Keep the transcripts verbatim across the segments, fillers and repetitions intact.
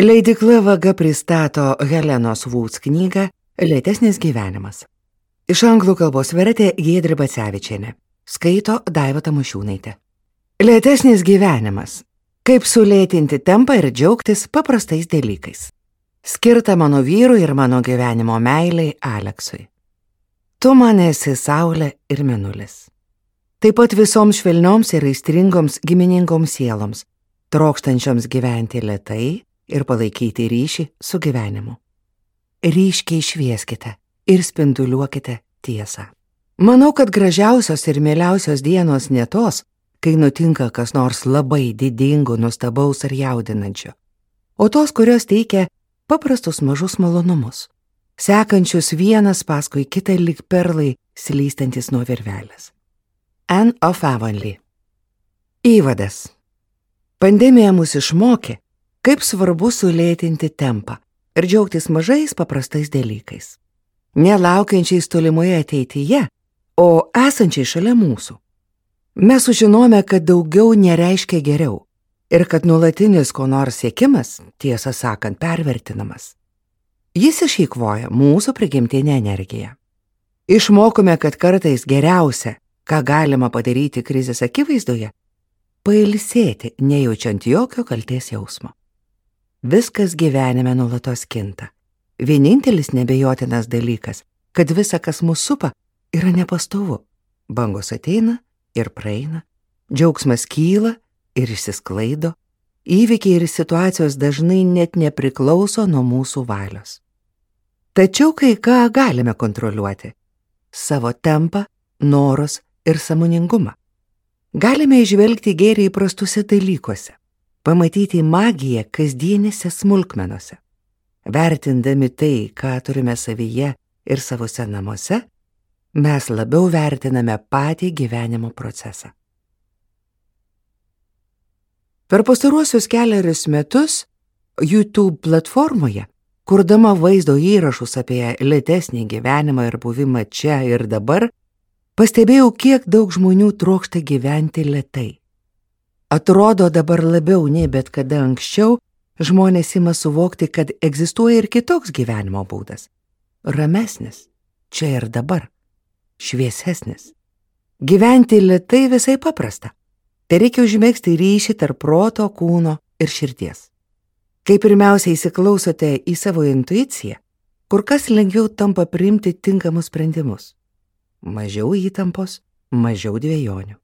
Leidykla Vaga pristato Helenos Woods knygą Lėtesnis gyvenimas. Iš anglų kalbos vertė Giedrė Bacevičienė. Skaito Daiva Tamošiūnaitė. Lėtesnis gyvenimas. Kaip sulėtinti tempą ir džiaugtis paprastais dalykais. Skirta mano vyrui ir mano gyvenimo meiliai Aleksui. Tu man esi saulė ir mėnulis. Taip pat visoms švelnioms ir aistringoms giminingoms sieloms, trokštančioms gyventi lėtai ir palaikyti ryšį su gyvenimu. Ryškiai švieskite ir spinduliuokite tiesą. Manau, kad gražiausios ir mieliausios dienos ne tos, kai nutinka kas nors labai didingo, nuostabaus ar jaudinančio, o tos, kurios teikia paprastus mažus malonumus, sekančius vienas paskui kitą lyg perlai slystantis nuo virvelės. Anne of Avonlea. Įvadas. Pandemija mus išmokė, kaip svarbu sulėtinti tempą ir džiaugtis mažais paprastais dalykais. Nelaukiančiais tolimoje ateityje, o esančiai šalia mūsų. Mes sužinome, kad daugiau nereiškia geriau ir kad nuolatinis ko nors siekimas, tiesą sakant, pervertinamas. Jis išeikvoja mūsų prigimtinę energiją. Išmokome, kad kartais geriausia, ką galima padaryti krizės akivaizdoje, pailsėti, nejaučiant jokio kaltės jausmo. Viskas gyvenime nuolatos kinta. Vienintelis nebejotinas dalykas, kad visa, kas mus supa, yra nepastovu. Bangos ateina ir praeina, džiaugsmas kyla ir išsisklaido, įvykiai ir situacijos dažnai net nepriklauso nuo mūsų valios. Tačiau kai ką galime kontroliuoti – savo tempą, norus ir sąmoningumą. Galime įžvelgti gėrį įprastuose dalykuose, pamatyti magiją kasdienėse smulkmenose. Vertindami tai, ką turime savyje ir savose namuose, mes labiau vertiname patį gyvenimo procesą. Per pastaruosius keliarius metus YouTube platformoje, kurdama vaizdo įrašus apie lėtesnį gyvenimą ir buvimą čia ir dabar, pastebėjau, kiek daug žmonių trokšta gyventi lėtai. Atrodo, dabar labiau nei bet kada anksčiau žmonės ima suvokti, kad egzistuoja ir kitoks gyvenimo būdas. Ramesnis, čia ir dabar, šviesesnis. Gyventi lėtai visai paprasta. Tai reikia užmegzti ryšį tarp proto, kūno ir širdies. Kai pirmiausia įsiklausote į savo intuiciją, kur kas lengviau tampa priimti tinkamus sprendimus. Mažiau įtampos, mažiau dvejonių.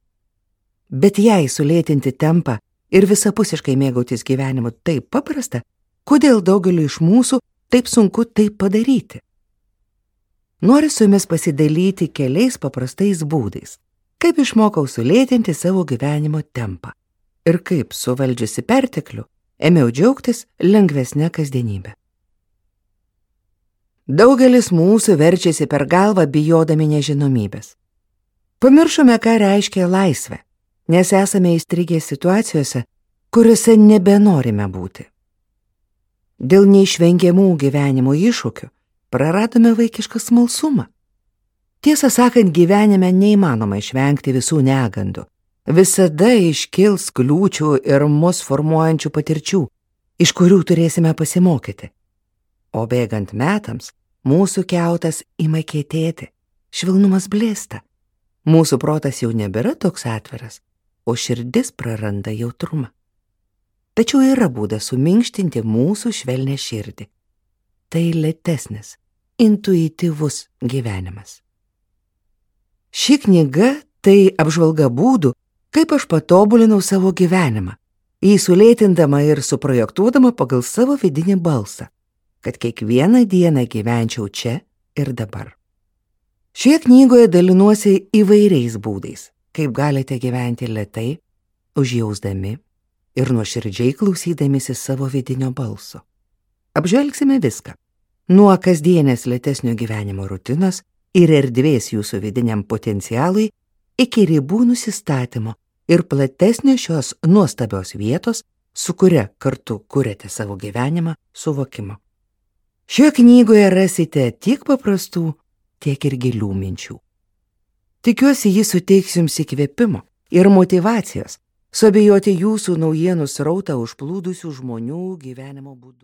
Bet jei sulėtinti tempą ir visapusiškai mėgautis gyvenimu taip paprasta, kodėl daugeliu iš mūsų taip sunku tai padaryti? Noriu su jumis pasidalyti keliais paprastais būdais, kaip išmokau sulėtinti savo gyvenimo tempą ir kaip suvaldžiusi perteklių ėmiau džiaugtis lengvesnę kasdienybę. Daugelis mūsų verčiasi per galvą bijodami nežinomybės. Pamiršome, ką reiškia laisvė, nes esame įstrigę situacijose, kuriuose nebenorime būti. Dėl neišvengiamų gyvenimo iššūkių praradome vaikišką smalsumą. Tiesą sakant, gyvenime neįmanoma išvengti visų negandų. Visada iškils kliūčių ir mus formuojančių patirčių, iš kurių turėsime pasimokyti. O bėgant metams, mūsų kiautas ima kietėti, švelnumas blėsta. Mūsų protas jau nebėra toks atviras, o širdis praranda jautrumą. Tačiau yra būdas suminkštinti mūsų švelnę širdį. Tai lėtesnis, intuityvus gyvenimas. Ši knyga tai apžvalga būdų, kaip aš patobulinau savo gyvenimą, jį sulėtindama ir suprojektuodama pagal savo vidinį balsą, kad kiekvieną dieną gyvenčiau čia ir dabar. Šioje knygoje dalinuosi įvairiais būdais, kaip galite gyventi lėtai, užjausdami ir nuoširdžiai klausydamisi savo vidinio balso. Apžvelgsime viską, nuo kasdienės lėtesnio gyvenimo rutinos ir erdvės jūsų vidiniam potencialui iki ribų nusistatymo ir platesnio šios nuostabios vietos, su kuria kartu kuriate savo gyvenimą, suvokimo. Šioje knygoje rasite tiek paprastų, tiek ir gilių minčių. Tikiuosi, jis suteiks jums įkvėpimo ir motyvacijos suabejoti jūsų naujienų srautą užplūdusių žmonių gyvenimo būdu.